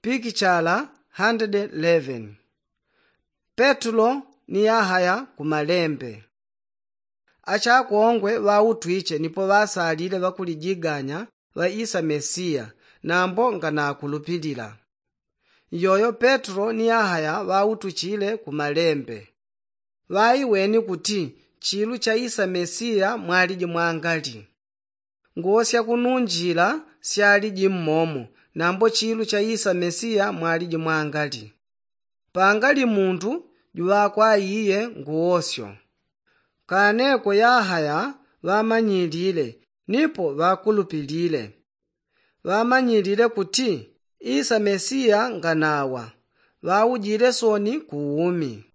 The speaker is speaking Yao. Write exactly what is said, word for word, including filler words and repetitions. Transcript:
Pikichala handede leveni. Petulo ni yahaya ku malembe. Achakongwe ŵautwiche nipo ŵasalile ŵakulijiganya ŵaisa mesiya, nambo nganakulupilila. Iyoyo petulo ni yahaya ŵautuchile ku malembe. Ŵaiweni kuti chilu chaisa mesiya mwaliji mwangali. Nguwo syakununjila syaliji mmomo, nambo chilu chaisa mesiya mwaliji mwangali. Pangali muntu juŵakwa iye nguwosyo. Kaneko yahaya ŵamanyilile nipo ŵakulupilile. Ŵamanyilile kuti isa mesiya nganawa, ŵaujile soni ku umi.